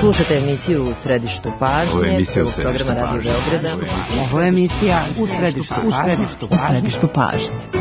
Slušate emisiju U središtu pažnje, prvog programa Radio Beograda. Ovo je emisija U središtu pažnje.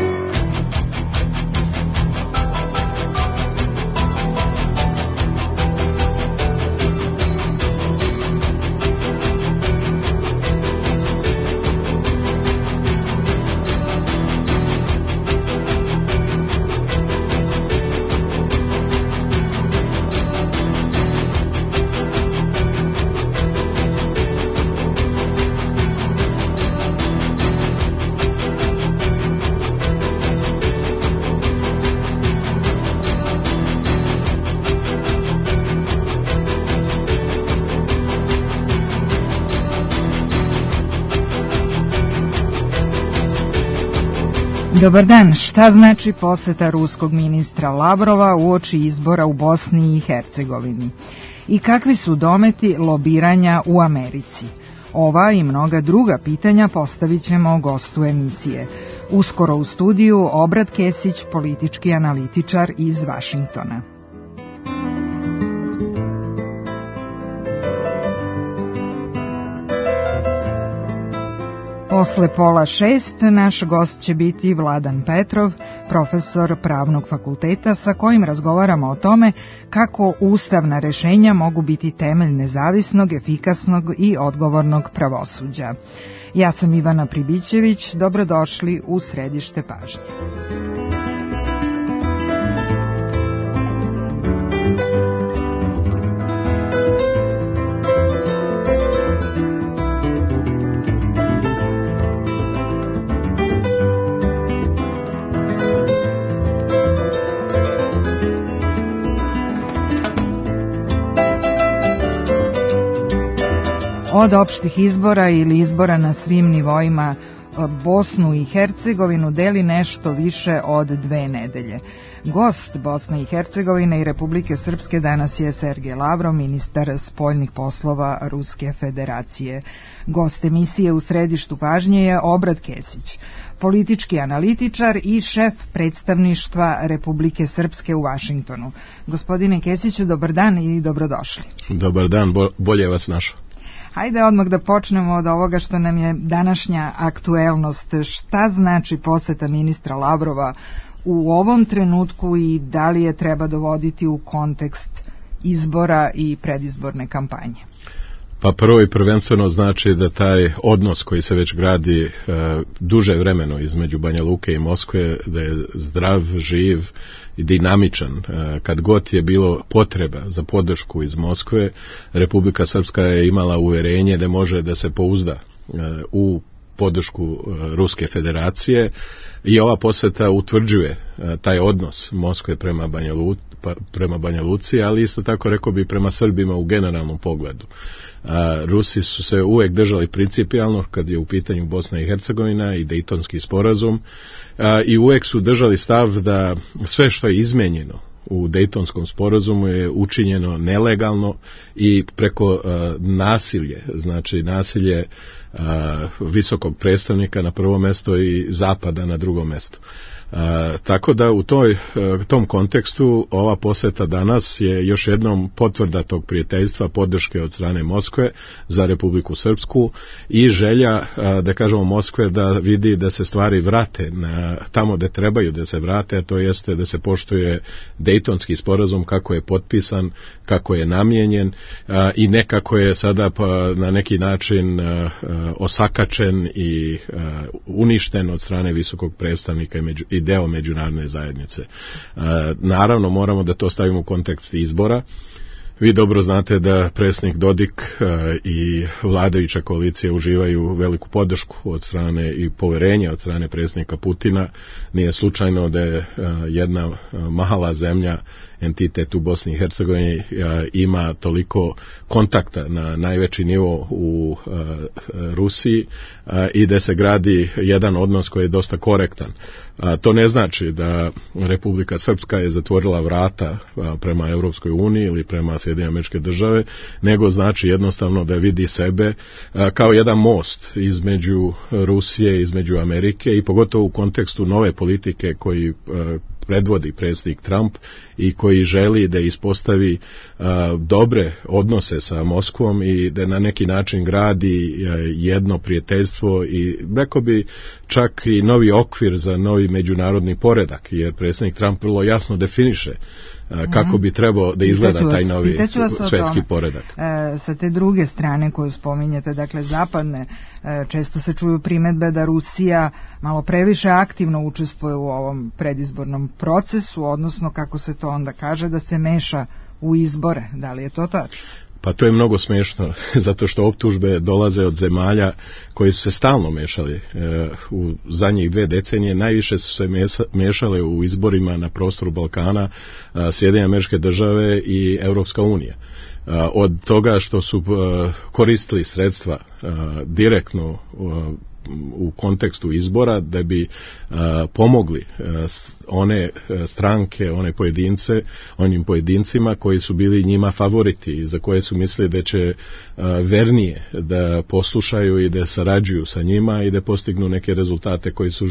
Dobar dan, šta znači poseta ruskog ministra Lavrova uoči izbora u Bosni i Hercegovini? I kakvi su dometi lobiranja u Americi? Ova i mnoga druga pitanja postavit ćemo gostu emisije. Uskoro u studiju Obrad Kesić, politički analitičar iz Vašingtona. Posle 5:30 naš gost će biti Vladan Petrov, profesor Pravnog fakulteta, sa kojim razgovaramo o tome kako ustavna rešenja mogu biti temelj nezavisnog, efikasnog i odgovornog pravosuđa. Ja sam Ivana Pribićević, dobrodošli u središte pažnje. Od opštih izbora ili izbora na svim nivoima Bosnu i Hercegovinu deli nešto više od 2 nedelje. Gost Bosne i Hercegovine i Republike Srpske danas je Sergej Lavrov, ministar spoljnih poslova Ruske federacije. Gost emisije U središtu pažnje je Obrad Kesić, politički analitičar i šef predstavništva Republike Srpske u Vašingtonu. Gospodine Kesiću, dobar dan i dobrodošli. Dobar dan, bolje vas našao. Hajde odmah da počnemo od ovoga što nam je današnja aktuelnost. Šta znači poseta ministra Lavrova u ovom trenutku i da li je treba dovoditi u kontekst izbora i predizborne kampanje? Pa prvo i prvenstveno znači da taj odnos koji se već gradi duže vremeno između Banja Luke i Moskve, da je zdrav, živ i dinamičan. Kad god je bilo potreba za podršku iz Moskve, Republika Srpska je imala uverenje da može da se pouzda u podršku Ruske federacije i ova poseta utvrđuje taj odnos Moskve prema Banja Luci, ali isto tako rekao bi prema Srbima u generalnom pogledu. Rusi su se uvek držali principijalno kad je u pitanju Bosna i Hercegovina i Dejtonski sporazum i uvek su držali stav da sve što je izmenjeno u Dejtonskom sporazumu je učinjeno nelegalno i preko nasilje, znači nasilje visokog predstavnika na prvo mesto i Zapada na drugo mesto. Tako da u tom kontekstu ova poseta danas je još jednom potvrda tog prijateljstva, podrške od strane Moskve za Republiku Srpsku i želja, da kažemo, Moskve da vidi da se stvari vrate tamo gde trebaju da se vrate, a to jeste da se poštuje Dejtonski sporazum kako je potpisan, kako je namijenjen i ne kako je sada na neki način osakačen i uništen od strane visokog predstavnika i deo međunarodne zajednice. Naravno, moramo da to stavimo u kontekst izbora. Vi dobro znate da predsjednik Dodik i vladajuća koalicija uživaju veliku podršku od strane i poverenja od strane predsjednika Putina. Nije slučajno da je jedna mala zemlja, entitet u Bosni i Hercegovini, ima toliko kontakta na najveći nivo u Rusiji i da se gradi jedan odnos koji je dosta korektan. To ne znači da Republika Srpska je zatvorila vrata prema Europskoj uniji ili prema Sjedinjenim Američke Države, nego znači jednostavno da vidi sebe kao jedan most između Rusije, između Amerike i pogotovo u kontekstu nove politike koji predvodi predsjednik Trump i koji želi da ispostavi dobre odnose sa Moskvom i da na neki način gradi jedno prijateljstvo i rekao bi čak i novi okvir za novi međunarodni poredak, jer predsjednik Trump vrlo jasno definiše kako bi trebao da izgleda taj novi svetski poredak. Sa te druge strane koju spominjete, dakle zapadne, često se čuju primedbe da Rusija malo previše aktivno učestvuje u ovom predizbornom procesu, odnosno kako se to onda kaže, da se meša u izbore. Da li je to tačno? Pa to je mnogo smiješno, zato što optužbe dolaze od zemalja koji su se stalno mešali u zadnjih 2 decenije. Najviše su se mešale u izborima na prostoru Balkana, Sjedinjene Američke Države i Europska unija. Od toga što su koristili sredstva direktno u kontekstu izbora da bi pomogli one stranke, onim pojedincima koji su bili njima favoriti i za koje su mislili da će vernije da poslušaju i da sarađuju sa njima i da postignu neke rezultate koji su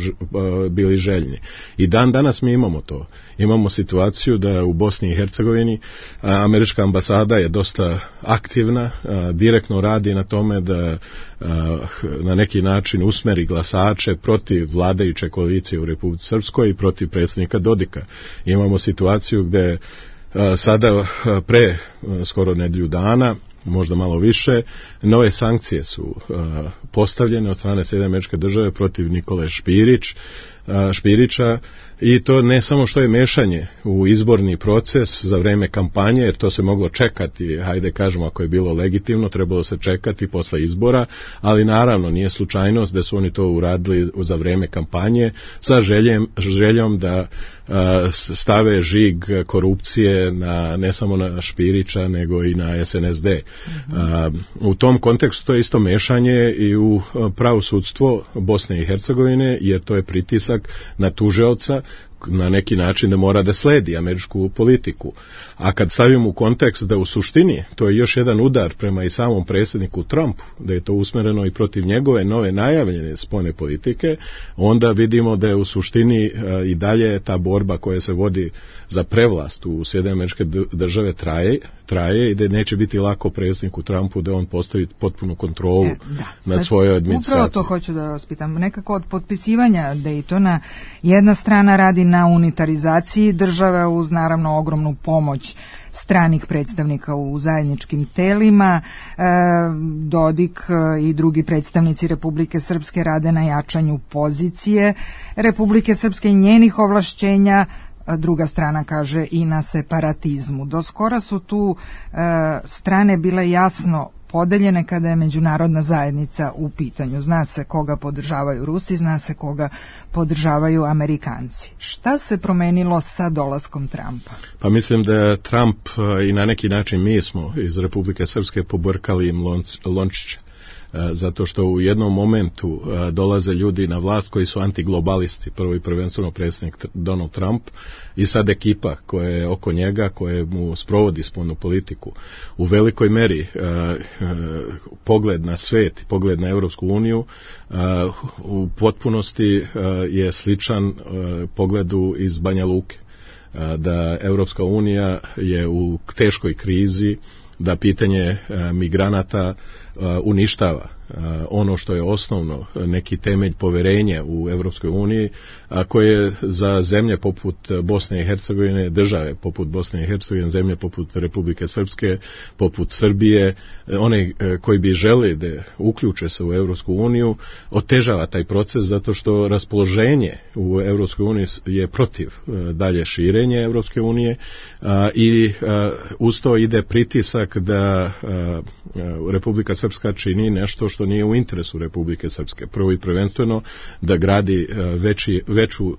bili željni. I danas mi imamo to. Imamo situaciju da u Bosni i Hercegovini američka ambasada je dosta aktivna, direktno radi na tome da na neki način usmeri glasače protiv vladajuće koalicije u Republici Srpskoj i protiv predsjednika Dodika. Imamo situaciju gde sada pre skoro nedelju dana, možda malo više, nove sankcije su postavljene od strane Sjedinjene Američke Države protiv Nikole Špirića i to ne samo što je mešanje u izborni proces za vreme kampanje, jer to se moglo čekati, hajde kažemo ako je bilo legitimno, trebalo se čekati posle izbora, ali naravno nije slučajnost da su oni to uradili za vreme kampanje sa željom da stave žig korupcije ne samo na Špirića nego i na SNSD. U tom kontekstu to je isto mešanje i u pravosudstvo Bosne i Hercegovine, jer to je pritisak na tužioca na neki način da mora da sledi američku politiku. A kad stavimo u kontekst da u suštini to je još jedan udar prema i samom predsjedniku Trumpu, da je to usmereno i protiv njegove nove najavljene spoljne politike, onda vidimo da je u suštini i dalje ta borba koja se vodi za prevlast u Sjedinjene Američke Države traje i da neće biti lako predsjedniku Trumpu da on postavi potpunu kontrolu nad svojoj administraciji. Upravo to hoću da vas pitam. Nekako od potpisivanja Daytona jedna strana radi na unitarizaciji države uz naravno ogromnu pomoć stranih predstavnika u zajedničkim telima. Dodik i drugi predstavnici Republike Srpske rade na jačanju pozicije Republike Srpske i njenih ovlašćenja, druga strana kaže i na separatizmu. Do skora su tu strane bile jasno podeljene kada je međunarodna zajednica u pitanju. Zna se koga podržavaju Rusi, zna se koga podržavaju Amerikanci. Šta se promenilo sa dolaskom Trumpa? Pa mislim da Trump i na neki način mi smo iz Republike Srpske pobrkali im lončiće. Zato što u jednom momentu dolaze ljudi na vlast koji su antiglobalisti, prvo i prvenstveno predsjednik Donald Trump i sad ekipa koja je oko njega, koja mu sprovodi spoljnu politiku. U velikoj meri pogled na svet, pogled na Europsku uniju u potpunosti je sličan pogledu iz Banja Luke. Da Europska unija je u teškoj krizi, da pitanje migranata uništava ono što je osnovno, neki temelj poverenja u Europskoj uniji, a koje za zemlje poput Bosne i Hercegovine, države poput Bosne i Hercegovine, zemlje poput Republike Srpske, poput Srbije, one koji bi želi da uključe se u Europsku uniju, otežava taj proces zato što raspoloženje u Europskoj uniji je protiv dalje širenje Europske unije i uz to ide pritisak da Republika Srpska čini nešto što nije u interesu Republike Srpske. Prvo i prvenstveno da gradi veću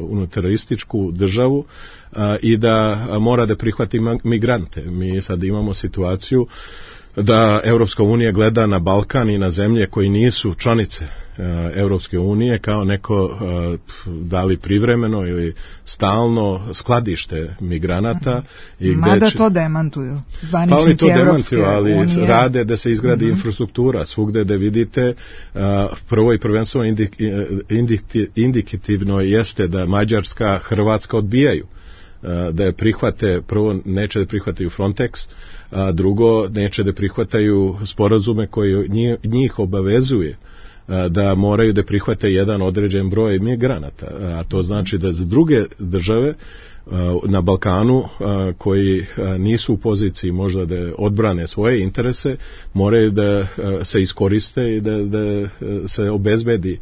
unitarističku državu i da mora da prihvati migrante. Mi sad imamo situaciju da Europska unija gleda na Balkan i na zemlje koji nisu članice Europske unije kao neko da li privremeno ili stalno skladište migranata. Mada to demantuju zvaničnici pa oni to demantuju, ali unije. Rade da se izgradi infrastruktura svugde da vidite. Prvo i prvenstveno indikativno jeste da Mađarska, Hrvatska odbijaju da je prihvate, prvo neće da prihvataju Frontex, a drugo neće da prihvataju sporazume koji njih obavezuje da moraju da prihvate jedan određen broj migranata, a to znači da za druge države na Balkanu koji nisu u poziciji možda da odbrane svoje interese, moraju da se iskoriste i da se obezbedi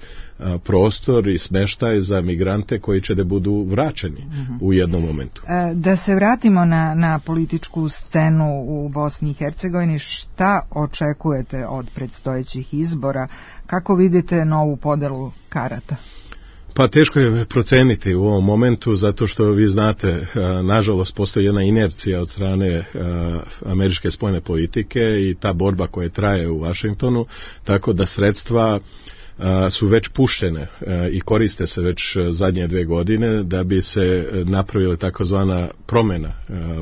prostor i smeštaj za migrante koji će da budu vraćeni u jednom momentu. Da se vratimo na političku scenu u Bosni i Hercegovini, šta očekujete od predstojećih izbora? Kako vidite novu podelu karata? Pa teško je proceniti u ovom momentu zato što vi znate, nažalost postoji jedna inercija od strane američke spoljne politike i ta borba koja traje u Vašingtonu, tako da sredstva su već puštene i koriste se već zadnje 2 godine da bi se napravila takozvana promjena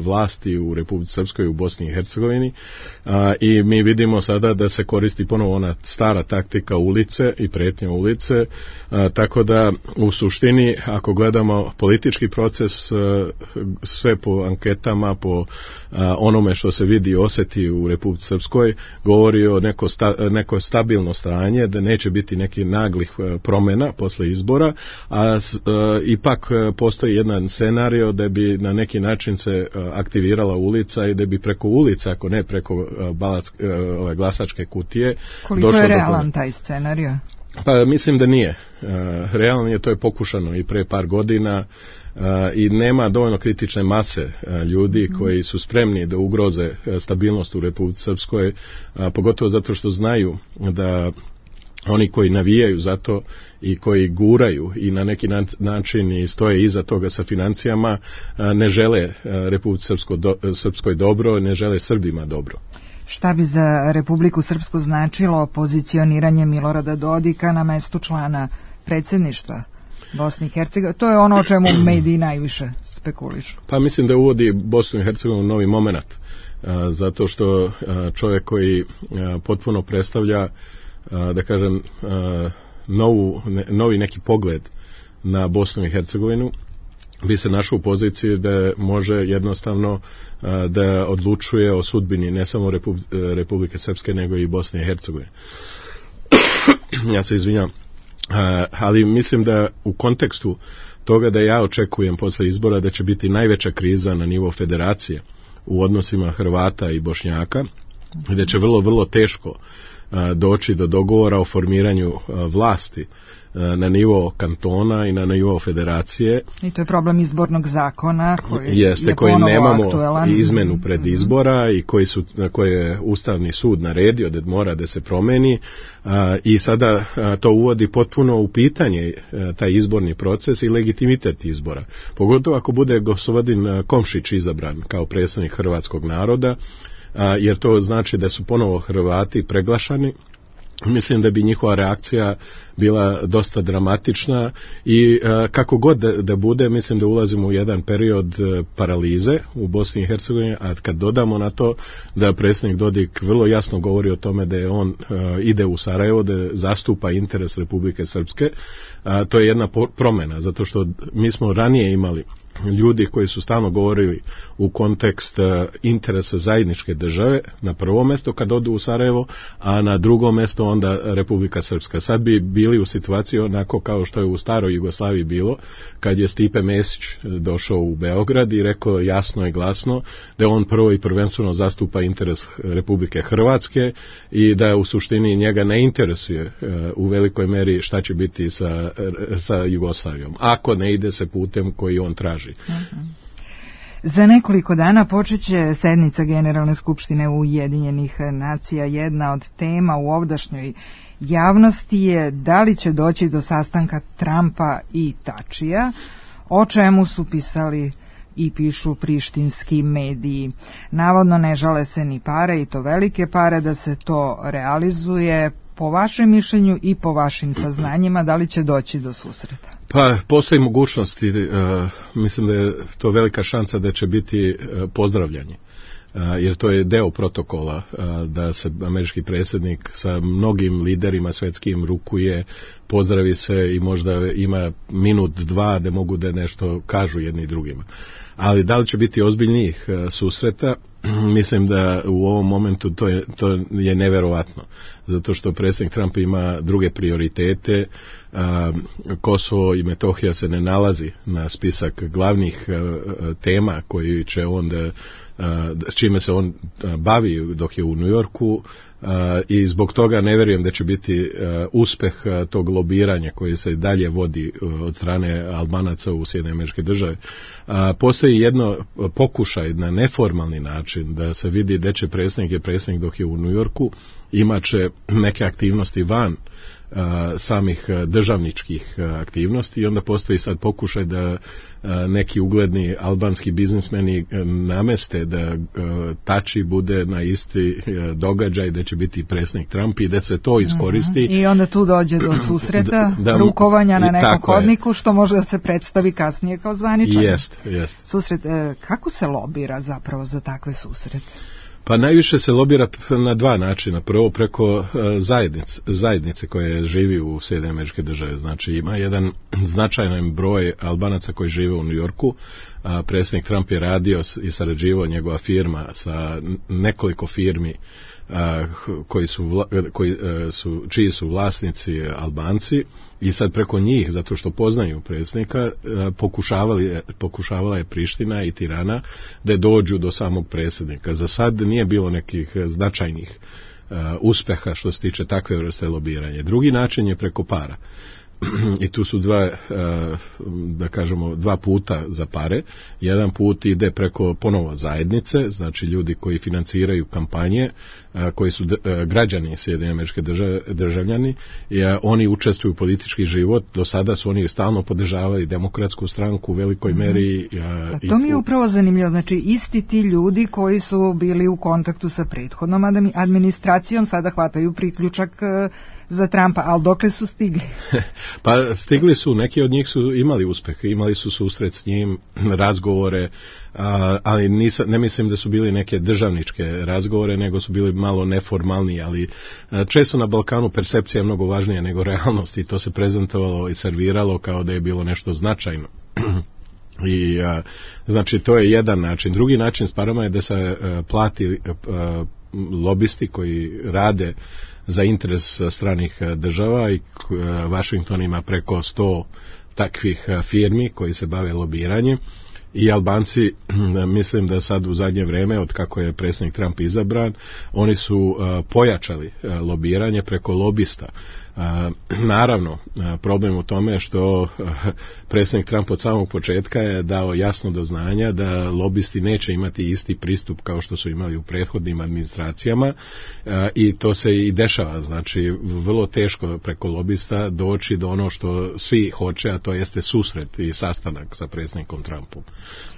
vlasti u Republici Srpskoj u Bosni i Hercegovini i mi vidimo sada da se koristi ponovo ona stara taktika ulice i pretnje ulice, tako da u suštini ako gledamo politički proces sve po anketama, po onome što se vidi i osjeti u Republici Srpskoj govori o neko stabilno stanje, da neće biti nekih naglih promjena posle izbora, a ipak postoji jedan scenario da bi na neki način se aktivirala ulica i da bi preko ulica, ako ne preko glasačke kutije. Koliko je realan taj scenario? Pa mislim da nije. Realno je, to je pokušano i pre par godina i nema dovoljno kritične mase ljudi koji su spremni da ugroze stabilnost u Republici Srpskoj, pogotovo zato što znaju da oni koji navijaju za to i koji guraju i na neki način i stoje iza toga sa financijama ne žele Republici Srpskoj dobro, ne žele Srbima dobro. Šta bi za Republiku Srpsku značilo pozicioniranje Milorada Dodika na mestu člana predsjedništva Bosne i Hercegovine? To je ono o čemu mediji najviše spekulišu. Pa mislim da uvodi Bosnu i Hercegovinu novi moment, zato što čovjek koji potpuno predstavlja, da kažem, novi neki pogled na Bosnu i Hercegovinu, bi se našao u poziciji da može jednostavno da odlučuje o sudbini ne samo Republike Srpske nego i Bosne i Hercegovine. Ja se izvinjam, ali mislim da u kontekstu toga da ja očekujem posle izbora da će biti najveća kriza na nivo federacije u odnosima Hrvata i Bošnjaka, da će vrlo teško doći do dogovora o formiranju vlasti na nivo kantona i na nivo federacije. I to je problem izbornog zakona koji nemamo izmenu pred izbora i koji je Ustavni sud naredio da mora da se promeni i sada to uvodi potpuno u pitanje taj izborni proces i legitimitet izbora. Pogotovo ako bude gospodin Komšić izabran kao predstavnik hrvatskog naroda, jer to znači da su ponovo Hrvati preglašani. Mislim da bi njihova reakcija bila dosta dramatična i kako god da bude, mislim da ulazimo u jedan period paralize u Bosni i Hercegovini, a kad dodamo na to da predsjednik Dodik vrlo jasno govori o tome da je on ide u Sarajevo, da zastupa interes Republike Srpske, to je jedna promjena, zato što mi smo ranije imali ljudi koji su stalno govorili u kontekst interesa zajedničke države na prvo mjesto kad odu u Sarajevo, a na drugo mjesto onda Republika Srpska. Sad bi bili u situaciji onako kao što je u staroj Jugoslaviji bilo, kad je Stipe Mesić došao u Beograd i rekao jasno i glasno da on prvo i prvenstveno zastupa interes Republike Hrvatske i da u suštini njega ne interesuje u velikoj meri šta će biti sa Jugoslavijom, ako ne ide se putem koji on traži. Za nekoliko dana počeće sednica Generalne skupštine Ujedinjenih nacija. Jedna od tema u ovdašnjoj javnosti je da li će doći do sastanka Trumpa i Tačija, o čemu su pisali i pišu prištinski mediji. Navodno ne žale se ni pare, i to velike pare, da se to realizuje. Po vašem mišljenju i po vašim saznanjima, da li će doći do susreta? Pa, postoji mogućnosti, mislim da je to velika šansa da će biti pozdravljanje. Jer to je deo protokola da se američki predsjednik sa mnogim liderima svjetskim rukuje, pozdravi se i možda ima minut, dva da mogu da nešto kažu jedni drugima. Ali da li će biti ozbiljnijih susreta? Mislim da u ovom momentu to je neverovatno, zato što predsjednik Trump ima druge prioritete. Kosovo i Metohija se ne nalazi na spisak glavnih tema koji će onda, s čime se on bavi dok je u New Yorku, i zbog toga ne vjerujem da će biti uspjeh tog lobiranja koji se dalje vodi od strane Albanaca u Sjedinjene Američke Države. Postoji jedno pokušaj na neformalni način da se vidi da će predsjednik dok je u New Yorku, imaće neke aktivnosti van samih državničkih aktivnosti, i onda postoji sad pokušaj da neki ugledni albanski biznismeni nameste da Tači bude na isti događaj, da će biti predsjednik Trump i da se to iskoristi. I onda tu dođe do susreta, rukovanja na nekom hodniku, što može da se predstavi kasnije kao zvaničan. Jest. Susret, kako se lobira zapravo za takve susrete? Pa najviše se lobira na dva načina. Prvo preko zajednice koje živi u Sjedinjenim Američke Države. Znači ima jedan značajan broj Albanaca koji žive u New Yorku. Predsjednik Trump je radio i sarađivao, njegova firma sa nekoliko firmi čiji su vlasnici Albanci, i sad preko njih, zato što poznaju predsjednika, pokušavala je Priština i Tirana da dođu do samog predsjednika. Za sad nije bilo nekih značajnih uspeha što se tiče takve vrste lobiranja. Drugi način je preko para. I tu su dva puta za pare. Jedan put ide preko ponovo zajednice, znači ljudi koji financiraju kampanje, koji su građani Sjedinjene Američke Države, državljani, i oni učestvuju u politički život. Do sada su oni stalno podržavali demokratsku stranku u velikoj meri. To mi je upravo zanimljivo. Znači isti ti ljudi koji su bili u kontaktu sa prethodnom administracijom sada hvataju priključak za Trumpa, ali dokle su stigli? Pa stigli su, neki od njih su imali uspeh, imali su susret s njim, razgovore, ali ne mislim da su bili neke državničke razgovore, nego su bili malo neformalni, ali često na Balkanu percepcija je mnogo važnija nego realnost, i to se prezentovalo i serviralo kao da je bilo nešto značajno. I znači to je jedan način. Drugi način s parama je da se plati lobisti koji rade za interes stranih država, i Washington ima preko 100 takvih firmi koji se bave lobiranjem, i Albanci, mislim da sad u zadnje vrijeme, od kako je predsjednik Trump izabran, oni su pojačali lobiranje preko lobista. Naravno, problem u tome što predsjednik Trump od samog početka je dao jasno do znanja da lobisti neće imati isti pristup kao što su imali u prethodnim administracijama, i to se i dešava. Znači, vrlo teško preko lobista doći do ono što svi hoće, a to jeste susret i sastanak sa predsjednikom Trumpom.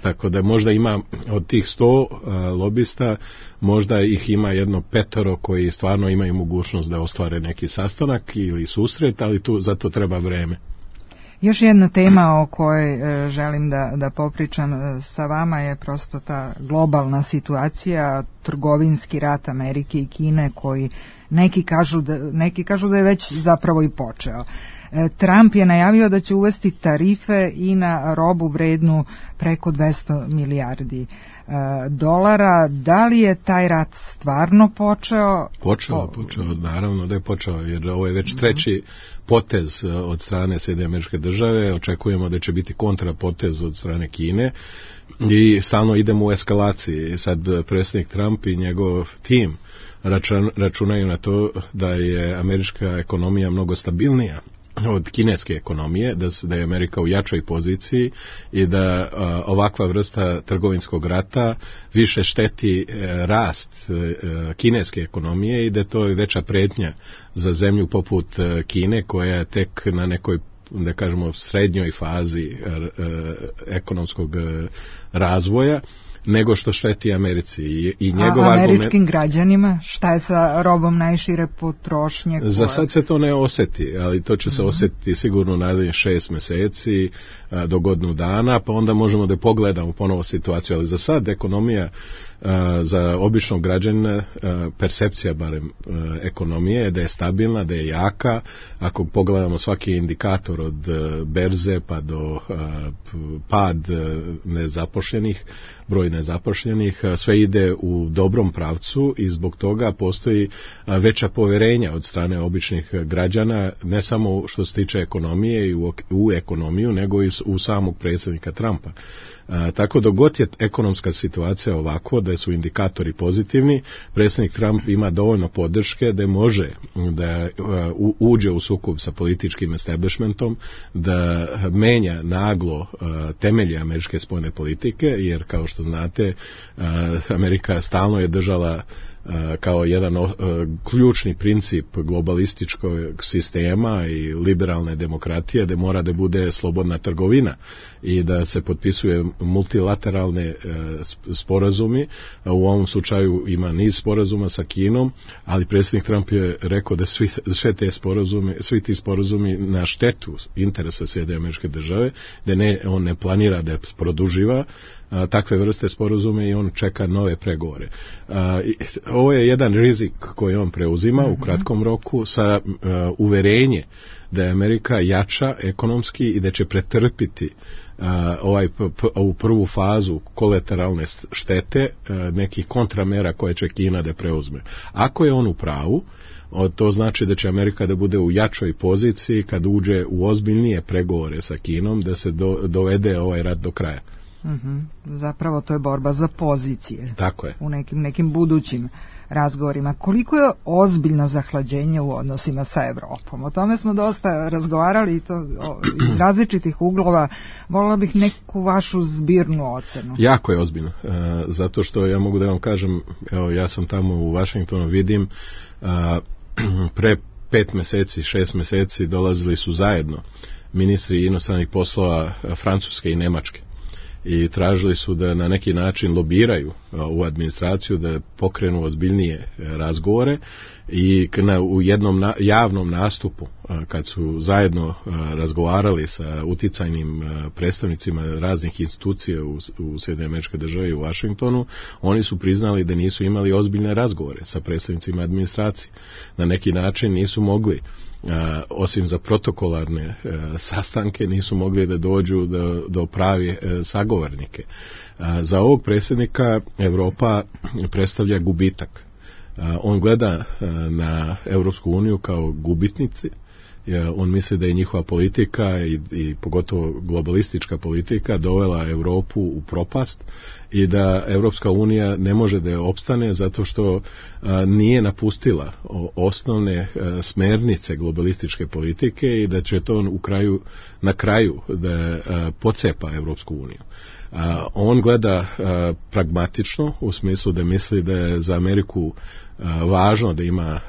Tako da možda ima od tih 100 lobista, možda ih ima jedno 5 koji stvarno imaju mogućnost da ostvare neki sastanak ili susret, ali za to treba vreme. Još jedna tema o kojoj želim da popričam sa vama je prosto ta globalna situacija, trgovinski rat Amerike i Kine, koji neki kažu da je već zapravo i počeo. Trump je najavio da će uvesti tarife i na robu vrednu preko 200 milijardi dolara. Da li je taj rat stvarno počeo? Počeo, naravno da je počeo, jer ovo je već treći potez od strane Sjedinjene Američke Države. Očekujemo da će biti kontrapotez od strane Kine i stalno idemo u eskalaciji. Sad predsjednik Trump i njegov tim računaju na to da je američka ekonomija mnogo stabilnija od kineske ekonomije, da je Amerika u jačoj poziciji i da ovakva vrsta trgovinskog rata više šteti rast kineske ekonomije i da to je veća prijetnja za zemlju poput Kine, koja je tek na nekoj da kažemo, srednjoj fazi ekonomskog razvoja, nego što šteti Americi. I njegov američkim građanima? Šta je sa robom najšire potrošnje? Za sad se to ne osjeti, ali to će se osjetiti sigurno narednih 6 mjeseci do godinu dana, pa onda možemo da pogledamo ponovo situaciju, ali za sad ekonomija za običnog građanina, percepcija barem ekonomije je da je stabilna, da je jaka. Ako pogledamo svaki indikator od berze pa do pad nezapošljenih, broj nezapošljenih, sve ide u dobrom pravcu i zbog toga postoji veća poverenja od strane običnih građana, ne samo što se tiče ekonomije i u ekonomiju, nego i u samog predsjednika Trumpa. Tako dok god je ekonomska situacija ovako, da su indikatori pozitivni, predsjednik Trump ima dovoljno podrške da može da uđe u sukob sa političkim establishmentom, da menja naglo temelje američke spoljne politike, jer kao što znate, Amerika stalno je držala kao jedan ključni princip globalističkog sistema i liberalne demokratije da mora da bude slobodna trgovina i da se potpisuje multilateralne sporazumi. U ovom slučaju ima niz sporazuma sa Kinom, ali predsjednik Trump je rekao da svi ti sporazumi na štetu interesa Sjedinjenih Američke Države, da on ne planira da produživa takve vrste sporazume i on čeka nove pregovore. Ovo je jedan rizik koji on preuzima u kratkom roku sa uverenje da je Amerika jača ekonomski i da će pretrpiti ovu prvu fazu kolateralne štete nekih kontramera koje će Kina da preuzme. Ako je on u pravu, to znači da će Amerika da bude u jačoj poziciji kad uđe u ozbiljnije pregovore sa Kinom, da se dovede ovaj rat do kraja. Zapravo to je borba za pozicije. Tako je. U nekim budućim razgovorima. Koliko je ozbiljno zahlađenje u odnosima sa Evropom? O tome smo dosta razgovarali i to iz različitih uglova. Volila bih neku vašu zbirnu ocenu. Jako je ozbiljno. Zato što ja mogu da vam kažem, evo ja sam tamo u Washingtonu, vidim pre 6 mjeseci dolazili su zajedno ministri inostranih poslova Francuske i Nemačke i tražili su da na neki način lobiraju u administraciju, da pokrenu ozbiljnije razgovore i u jednom javnom nastupu kad su zajedno razgovarali sa uticajnim predstavnicima raznih institucija u Sjedinjenim Američkih Država i u Washingtonu, oni su priznali da nisu imali ozbiljne razgovore sa predstavnicima administracije. Na neki način nisu mogli, osim za protokolarne sastanke, nisu mogli da dođu do pravi sagovornike. Za ovog predsjednika Evropa predstavlja gubitak. On gleda na Europsku uniju kao gubitnici. On misli da je njihova politika i pogotovo globalistička politika dovela Europu u propast i da Europska unija ne može da je opstane zato što nije napustila osnovne smernice globalističke politike i da će to na kraju da pocepa Europsku uniju. On gleda pragmatično u smislu da misli da je za Ameriku važno da ima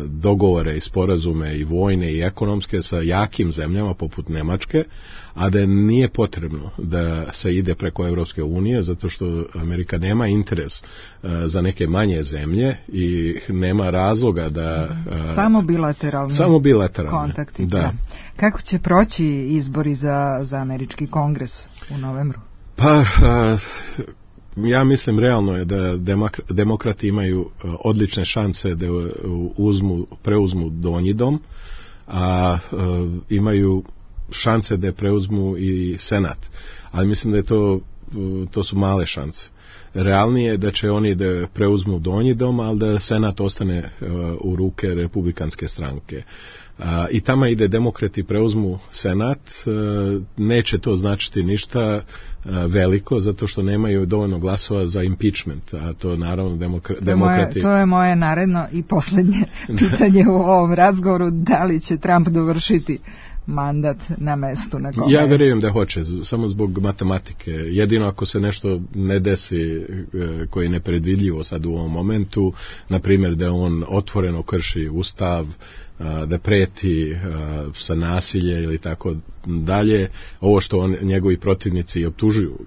dogovore i sporazume i vojne i ekonomske sa jakim zemljama poput Nemačke, a da nije potrebno da se ide preko Europske unije zato što Amerika nema interes za neke manje zemlje i nema razloga da samo bilateralni kontakti. Da. Kako će proći izbori za američki kongres u novembru? Pa ja mislim realno je da demokrati imaju odlične šanse da preuzmu donji dom, a imaju šanse da preuzmu i senat. Ali mislim da je to su male šanse. Realnije je da će oni da preuzmu donji dom, ali da senat ostane u ruke republikanske stranke. I tamo ide demokrati preuzmu senat, neće to značiti ništa veliko zato što nemaju dovoljno glasova za impeachment, a to naravno demokrati... To je moje naredno i posljednje pitanje u ovom razgovoru, da li će Trump dovršiti mandat na mestu na kome... Ja vjerujem da hoće, samo zbog matematike. Jedino ako se nešto ne desi koji je nepredvidljivo sad u ovom momentu, na primjer da on otvoreno krši Ustav, da preti sa nasilje ili tako dalje, ovo što njegovi protivnici optužuju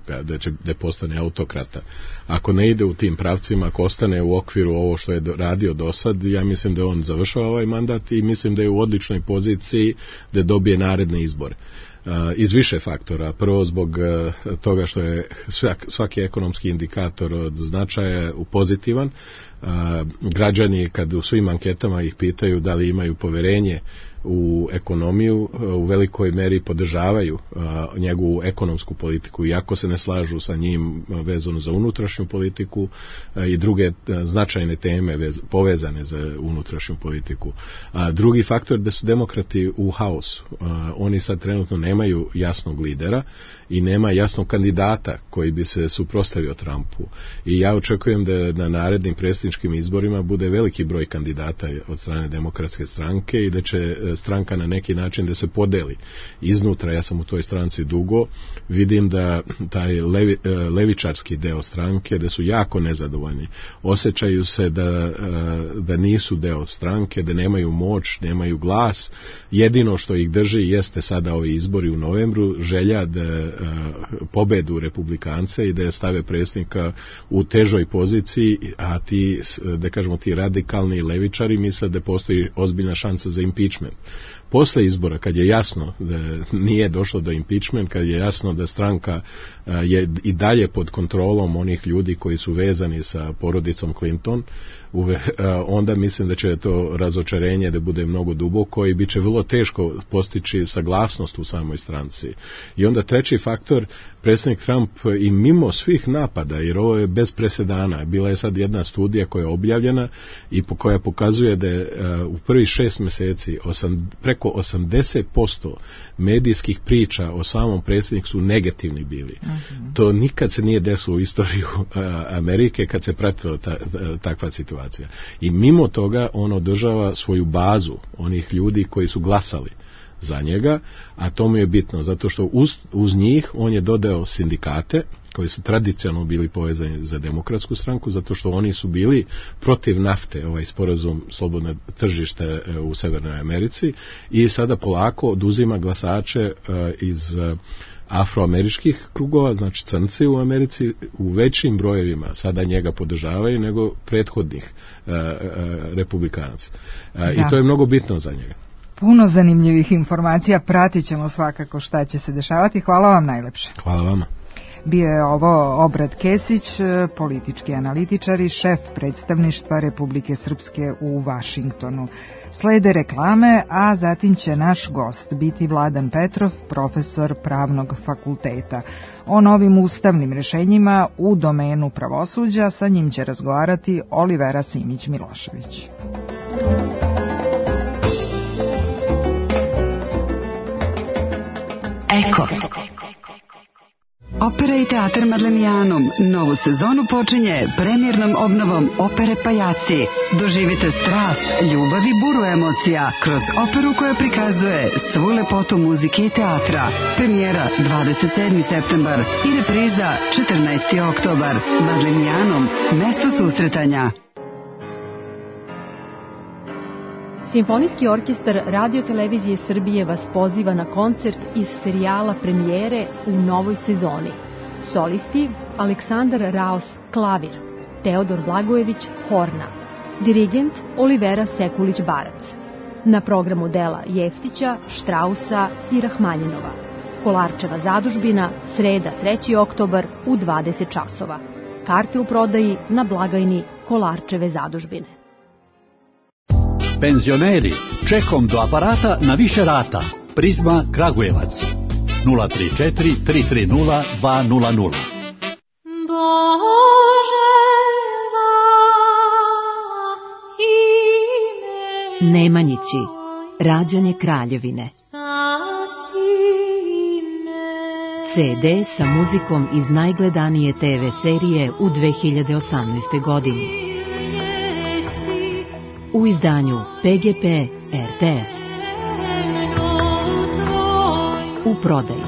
da postane autokrata. Ako ne ide u tim pravcima, ako ostane u okviru ovo što je radio do sad, ja mislim da on završava ovaj mandat i mislim da je u odličnoj poziciji da dobije naredne izbore. Iz više faktora. Prvo zbog toga što je svaki ekonomski indikator od značaja pozitivan. Građani kad u svim anketama ih pitaju da li imaju poverenje u ekonomiju, u velikoj meri podržavaju njegovu ekonomsku politiku, iako se ne slažu sa njim vezano za unutrašnju politiku i druge značajne teme povezane za unutrašnju politiku. Drugi faktor da su demokrati u haosu. Oni sad trenutno nemaju jasnog lidera i nema jasnog kandidata koji bi se suprotstavio Trumpu. I ja očekujem da na narednim predsjedničkim izborima bude veliki broj kandidata od strane Demokratske stranke i da će stranka na neki način da se podeli iznutra. Ja sam u toj stranci dugo, vidim da taj levičarski deo stranke da su jako nezadovoljni, osjećaju se da nisu deo stranke, da nemaju moć, nemaju glas. Jedino što ih drži jeste sada ovi izbori u novembru, želja da pobedu Republikance i da je stave predsjednika u težoj poziciji, a ti radikalni levičari misle da postoji ozbiljna šansa za impeachment. Posle izbora, kad je jasno da nije došlo do impeachment, kad je jasno da stranka je i dalje pod kontrolom onih ljudi koji su vezani sa porodicom Clinton, onda mislim da će to razočarenje da bude mnogo duboko i bit će vrlo teško postići saglasnost u samoj stranci. I onda treći faktor, predsjednik Trump i mimo svih napada, jer ovo je bez presedana, bila je sad jedna studija koja je objavljena i koja pokazuje da je u prvih 6 mjeseci preko 80% medijskih priča o samom predsjedniku su negativni bili. To nikad se nije desilo u istoriju Amerike kad se pratila takva situacija. I mimo toga on održava svoju bazu onih ljudi koji su glasali za njega, a to mu je bitno, zato što uz njih on je dodao sindikate koji su tradicionalno bili povezani za Demokratsku stranku, zato što oni su bili protiv nafte, ovaj sporazum slobodno tržište u Severnoj Americi, i sada polako oduzima glasače iz afroameričkih krugova, znači crnci u Americi u većim brojevima sada njega podržavaju nego prethodnih republikanaca. I to je mnogo bitno za njega. Puno zanimljivih informacija, pratit ćemo svakako šta će se dešavati. Hvala vam najlepše. Hvala vama. Bio je ovo Obrad Kesić, politički analitičar i šef predstavništva Republike Srpske u Vašingtonu. Slede reklame, a zatim će naš gost biti Vladan Petrov, profesor Pravnog fakulteta. O novim ustavnim rešenjima u domenu pravosuđa sa njim će razgovarati Olivera Simić-Milošević. Eko. Opera i teatar Madlenijanum novu sezonu počinje premijernom obnovom opere Pajaci. Doživite strast, ljubav i buru emocija kroz operu koja prikazuje svu lepotu muzike i teatra. Premijera 27. septembar i repriza 14. oktobar. Madlenijanum, mesto susretanja. Simfonijski orkestar Radio-televizije Srbije vas poziva na koncert iz serijala Premijere u novoj sezoni. Solisti Aleksandar Raos klavir, Teodor Blagojević horna, dirigent Olivera Sekulić-Barac. Na programu dela Jeftića, Štrausa i Rahmanjinova. Kolarčeva zadužbina, sreda 3. oktobar u 20 časova. Karte u prodaji na blagajni Kolarčeve zadužbine. Penzioneri, čekom do aparata na više rata. Prizma Kragujevac 034 330 200. Nemanjići, rađanje Kraljevine. CD sa muzikom iz najgledanije TV serije u 2018. godini. U izdanju PGP RTS. U prodaji.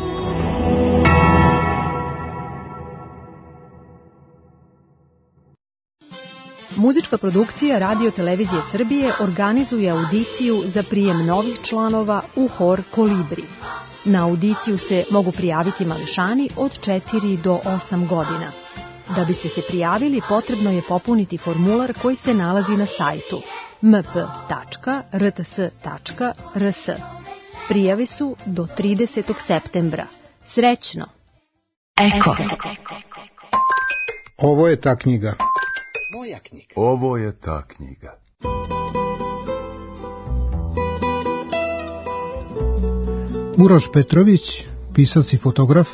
Muzička produkcija Radio Televizije Srbije organizuje audiciju za prijem novih članova u hor Kolibri. Na audiciju se mogu prijaviti mališani od 4 do 8 godina. Da biste se prijavili, potrebno je popuniti formular koji se nalazi na sajtu mp.rts.rs. Prijave su do 30. septembra. Srećno! Eko. Ovo je ta knjiga. Moja knjiga. Ovo je ta knjiga. Uroš Petrović, pisac i fotograf,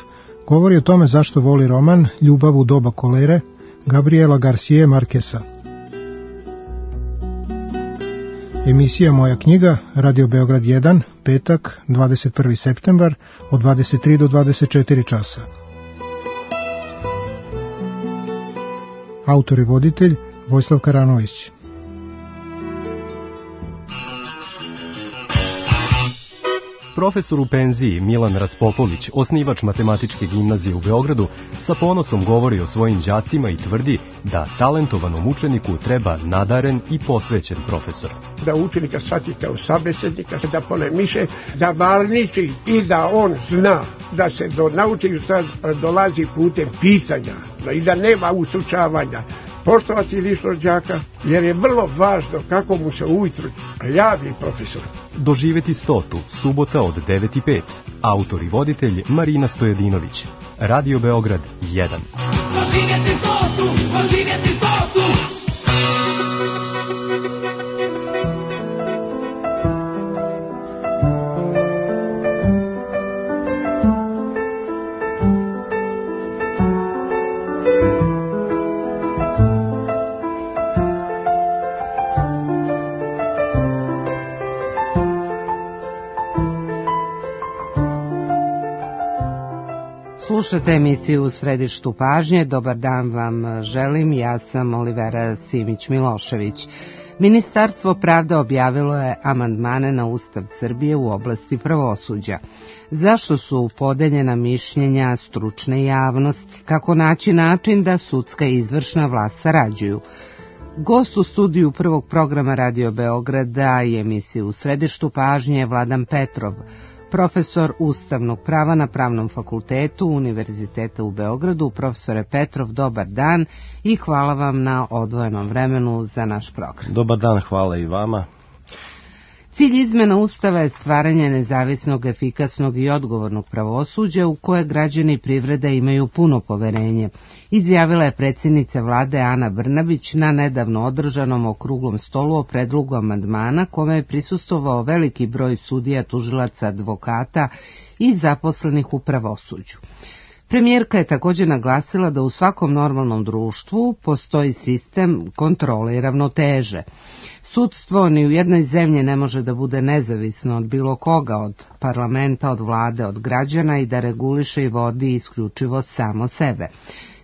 govori o tome zašto voli roman Ljubav u doba kolere Gabriela Garcije Markesa. Emisija Moja knjiga, Radio Beograd 1, petak, 21. septembar, od 23 do 24 časa. Autor i voditelj Vojislav Karanović. Profesor u penziji Milan Raspopović, osnivač Matematičke gimnazije u Beogradu, sa ponosom govori o svojim đacima i tvrdi da talentovanom učeniku treba nadaren i posvećen profesor. Da učenika shvati kao sabesednika, da polemiše, da varniči i da on zna da se do naučenih dolazi putem pitanja i da nema usučavanja. Poštovati ličnost đaka, jer je vrlo važno kako mu se ujutru javi profesor. Doživeti 100. subota od 9:05. Autor i voditelj Marina Stojedinović. Radio Beograd 1. Doživjeti 100. Doživjeti 100. Slušate emisiju U središtu pažnje. Dobar dan vam želim, ja sam Olivera Simić-Milošević. Ministarstvo pravde objavilo je amandmane na Ustav Srbije u oblasti pravosuđa. Zašto su podeljena mišljenja stručne javnosti? Kako naći način da sudska i izvršna vlast sarađuju? Gost u studiju prvog programa Radio Beograda i emisiju U središtu pažnje Vladan Petrov, profesor ustavnog prava na Pravnom fakultetu Univerziteta u Beogradu. Profesore Petrov, dobar dan i hvala vam na odvojenom vremenu za naš program. Dobar dan, hvala i vama. Cilj izmena Ustava je stvaranje nezavisnog, efikasnog i odgovornog pravosuđa u koje građani i privreda imaju puno poverenje, izjavila je predsjednica vlade Ana Brnabić na nedavno održanom okruglom stolu o predlogu amandmana kome je prisustvovao veliki broj sudija, tužilaca, advokata i zaposlenih u pravosuđu. Premijerka je također naglasila da u svakom normalnom društvu postoji sistem kontrole i ravnoteže. Sudstvo ni u jednoj zemlji ne može da bude nezavisno od bilo koga, od parlamenta, od vlade, od građana i da reguliše i vodi isključivo samo sebe.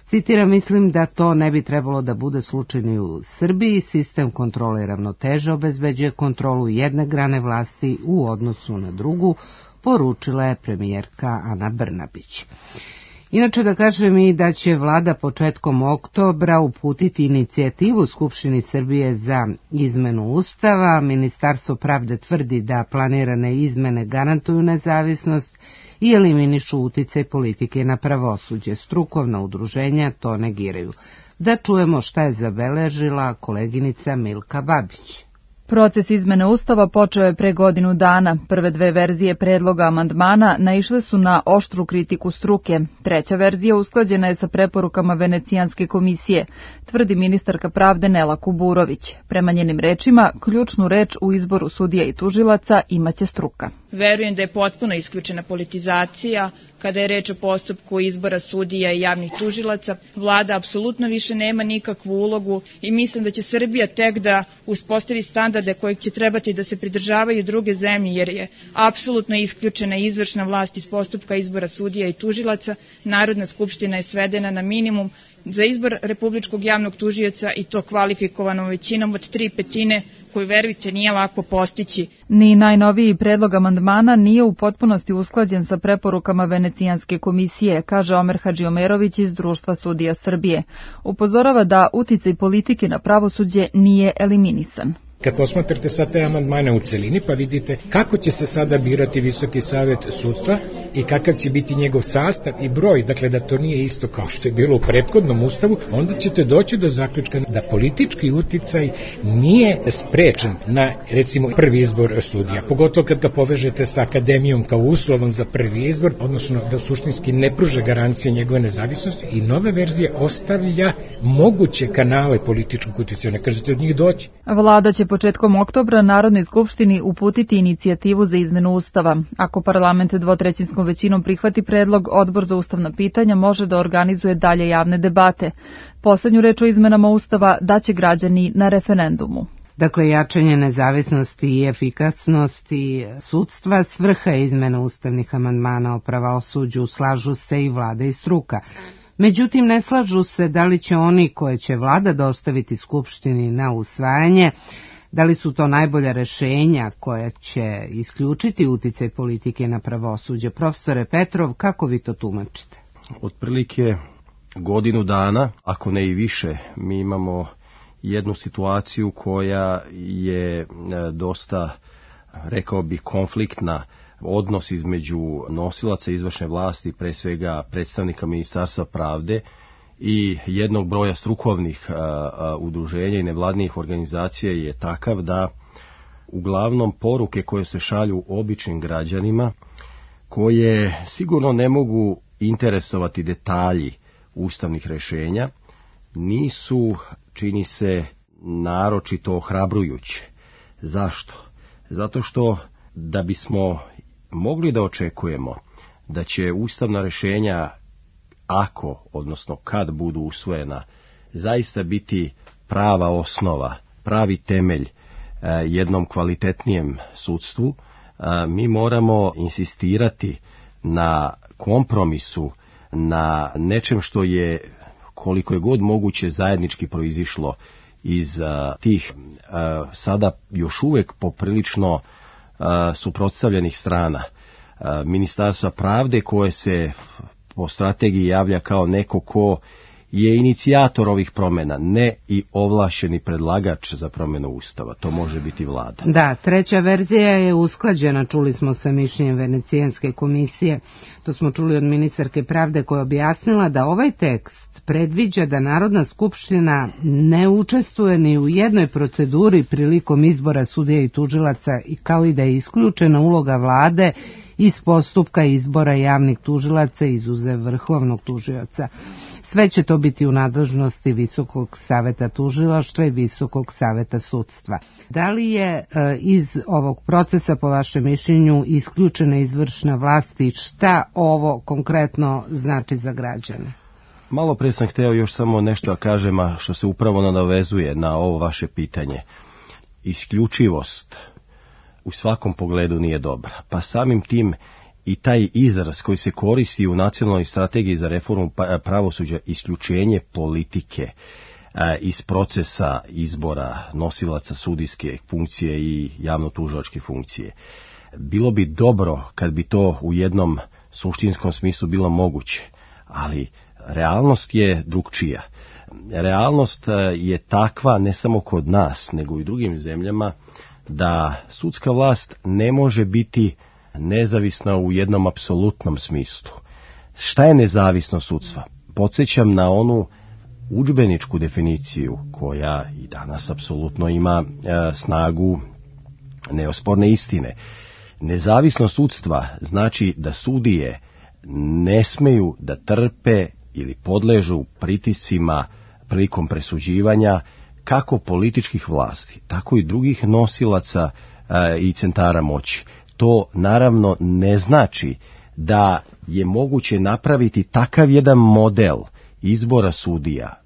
Citiram, mislim da to ne bi trebalo da bude slučaj ni u Srbiji. Sistem kontrole i ravnoteže obezbeđuje kontrolu jedne grane vlasti u odnosu na drugu, poručila je premijerka Ana Brnabić. Inače da kažem i da će vlada početkom oktobra uputiti inicijativu Skupštini Srbije za izmenu Ustava. Ministarstvo pravde tvrdi da planirane izmene garantuju nezavisnost i eliminišu uticaj politike na pravosuđe. Strukovna udruženja to negiraju. Da čujemo šta je zabeležila koleginica Milka Babić. Proces izmene Ustava počeo je pre godinu dana. Prve dve verzije predloga amandmana naišle su na oštru kritiku struke. Treća verzija usklađena je sa preporukama Venecijanske komisije, tvrdi ministarka pravde Nela Kuburović. Prema njenim rečima, ključnu reč u izboru sudija i tužilaca imaće struka. Verujem da je potpuno isključena politizacija. Kada je reč o postupku izbora sudija i javnih tužilaca, vlada apsolutno više nema nikakvu ulogu i mislim da će Srbija tek da uspostavi standarde kojeg će trebati da se pridržavaju druge zemlje, jer je apsolutno isključena izvršna vlast iz postupka izbora sudija i tužilaca. Narodna skupština je svedena na minimum za izbor republičkog javnog tužioca i to kvalifikovanom većinom od 3/5, koju, verujte, nije lako postići. Ni najnoviji predlog amandmana nije u potpunosti usklađen sa preporukama Venecijanske komisije, kaže Omer Hadžiomerović iz Društva sudija Srbije. Upozorava da uticaj politike na pravosuđe nije eliminisan. Kad posmatrate sad te amandmane u celini, pa vidite kako će se sada birati Visoki savet sudstva i kakav će biti njegov sastav i broj, dakle da to nije isto kao što je bilo u prethodnom ustavu, onda ćete doći do zaključka da politički uticaj nije sprečen na, recimo, prvi izbor sudija. Pogotovo kad ga povežete sa akademijom kao uslovom za prvi izbor, odnosno da suštinski ne pruža garancije njegove nezavisnosti i nova verzija ostavlja moguće kanale političkog uticaja, ne kažete od njih doći. Vlada će početkom oktobra Narodnoj skupštini uputiti inicijativu za izmenu Ustava. Ako parlament dvotrećinskom većinom prihvati predlog, Odbor za ustavna pitanja može da organizuje dalje javne debate. Poslednju reč o izmenama Ustava daće građani na referendumu. Dakle, jačanje nezavisnosti i efikasnosti sudstva svrha izmena ustavnih amandmana o pravosuđu, slažu se i vlada i struka. Međutim, ne slažu se da li će oni koje će vlada dostaviti Skupštini na usvajanje, da li su to najbolja rešenja koja će isključiti uticaj politike na pravosuđe. Profesore Petrov, kako vi to tumačite? Otprilike godinu dana, ako ne i više, mi imamo jednu situaciju koja je dosta, rekao bih, konfliktna. Odnos između nosilaca izvršne vlasti, pre svega predstavnika Ministarstva pravde i jednog broja strukovnih udruženja i nevladnih organizacija je takav da uglavnom poruke koje se šalju običnim građanima, koje sigurno ne mogu interesovati detalji ustavnih rešenja, nisu, čini se, naročito ohrabrujuće. Zašto? Zato što da bismo mogli da očekujemo da će ustavna rešenja, ako, odnosno kad budu usvojena, zaista biti prava osnova, pravi temelj jednom kvalitetnijem sudstvu, mi moramo insistirati na kompromisu, na nečem što je, koliko je god moguće, zajednički proizišlo iz tih sada još uvek poprilično suprotstavljenih strana. Ministarstva pravde, koje se po strategiji javlja kao neko ko je inicijator ovih promjena, ne i ovlašćeni predlagač za promjenu Ustava. To može biti vlada. Da, treća verzija je usklađena, čuli smo sa mišljenjem Venecijanske komisije. To smo čuli od ministarke pravde koja objasnila da ovaj tekst predviđa da Narodna skupština ne učestvuje ni u jednoj proceduri prilikom izbora sudija i tužilaca, kao i da je isključena uloga vlade iz postupka izbora javnih tužilaca izuzev vrhovnog tužioca. Sve će to biti u nadležnosti Visokog saveta tužilaštva i Visokog saveta sudstva. Da li je iz ovog procesa, po vašem mišljenju, isključena izvršna vlast i šta ovo konkretno znači za građane? Malo pre sam hteo još samo nešto da kažem, a što se upravo nadovezuje na ovo vaše pitanje. Isključivost u svakom pogledu nije dobra, pa samim tim i taj izraz koji se koristi u nacionalnoj strategiji za reformu pravosuđa, isključenje politike iz procesa izbora nosilaca sudijske funkcije i javno-tužilačke funkcije. Bilo bi dobro kad bi to u jednom suštinskom smislu bilo moguće, ali realnost je drugčija. Realnost je takva ne samo kod nas, nego i u drugim zemljama, da sudska vlast ne može biti nezavisna u jednom apsolutnom smislu. Šta je nezavisnost sudstva? Podsjećam na onu udžbeničku definiciju koja i danas apsolutno ima snagu neosporne istine. Nezavisnost sudstva znači da sudije ne smeju da trpe ili podležu pritiscima prilikom presuđivanja kako političkih vlasti, tako i drugih nosilaca i centara moći. To naravno ne znači da je moguće napraviti takav jedan model izbora sudija,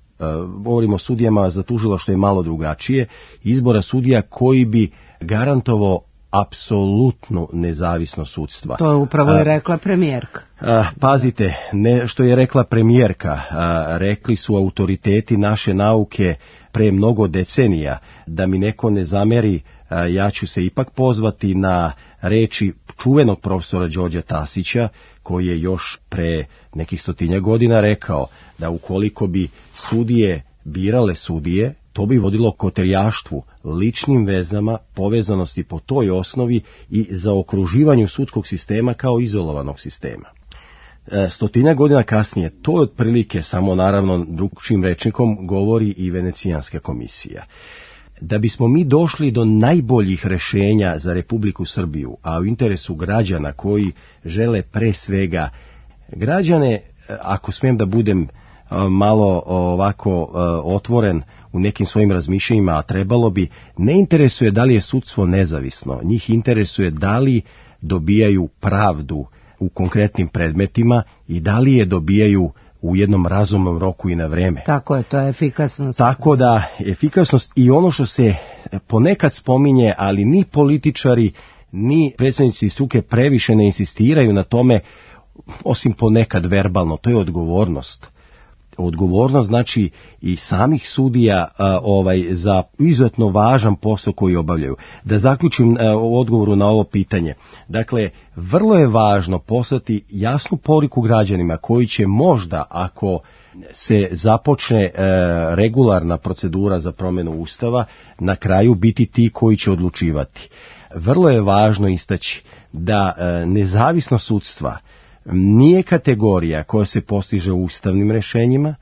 govorimo o sudijama za tužilaštvo je malo drugačije, izbora sudija koji bi garantovao apsolutnu nezavisnost sudstva. To je upravo i rekla premijerka. Pazite, što je rekla premijerka, rekli su autoriteti naše nauke pre mnogo decenija. Da mi neko ne zameri, ja ću se ipak pozvati na reči čuvenog profesora Đorđa Tasića, koji je još pre nekih 100 godina rekao da ukoliko bi sudije birale sudije, to bi vodilo koterijaštvu, ličnim vezama, povezanosti po toj osnovi i zaokruživanju sudskog sistema kao izolovanog sistema. 100 godina kasnije, to je otprilike, samo naravno drugčijim rečnikom, govori i Venecijanska komisija. Da bismo mi došli do najboljih rešenja za Republiku Srbiju, a u interesu građana koji žele pre svega građane, ako smijem da budem malo ovako otvoren u nekim svojim razmišljanjima, a trebalo bi, ne interesuje da li je sudstvo nezavisno, njih interesuje da li dobijaju pravdu u konkretnim predmetima i da li je dobijaju u jednom razumnom roku i na vreme. Tako je, to je efikasnost. Tako da, efikasnost i ono što se ponekad spominje, ali ni političari, ni predstavnici struke previše ne insistiraju na tome, osim ponekad verbalno, to je odgovornost. Odgovornost znači i samih sudija za izuzetno važan posao koji obavljaju. Da zaključim u odgovoru na ovo pitanje. Dakle, vrlo je važno poslati jasnu poruku građanima koji će možda, ako se započne regularna procedura za promjenu Ustava, na kraju biti ti koji će odlučivati. Vrlo je važno istaći da nezavisnost sudstva nije kategorija koja se postiže ustavnim rešenjima,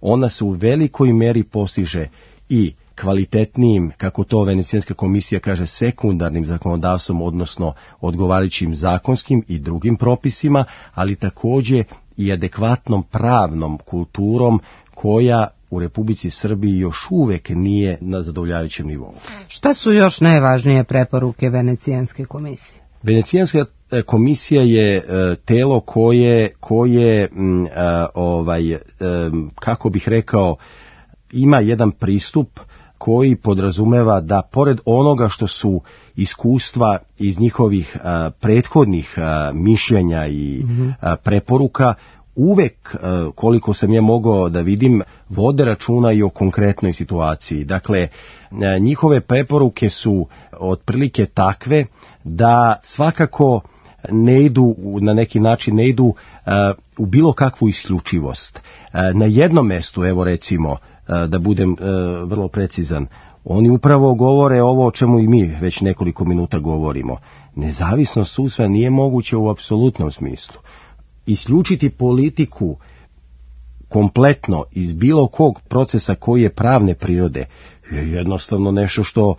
ona se u velikoj meri postiže i kvalitetnijim, kako to Venecijanska komisija kaže, sekundarnim zakonodavstvom, odnosno odgovarajućim zakonskim i drugim propisima, ali također i adekvatnom pravnom kulturom koja u Republici Srbiji još uvek nije na zadovoljavajućem nivou. Šta su još najvažnije preporuke Venecijanske komisije? Venecijanska komisija je telo koje kako bih rekao, ima jedan pristup koji podrazumeva da pored onoga što su iskustva iz njihovih prethodnih mišljenja i preporuka, uvek, koliko sam je mogao da vidim, vode računa i o konkretnoj situaciji. Dakle, njihove preporuke su otprilike takve da svakako ne idu, na neki način ne idu u bilo kakvu isključivost. Na jednom mestu, evo recimo, da budem vrlo precizan, oni upravo govore ovo o čemu i mi već nekoliko minuta govorimo. Nezavisnost sudstva nije moguće u apsolutnom smislu. Isključiti politiku kompletno iz bilo kog procesa koji je pravne prirode je jednostavno nešto što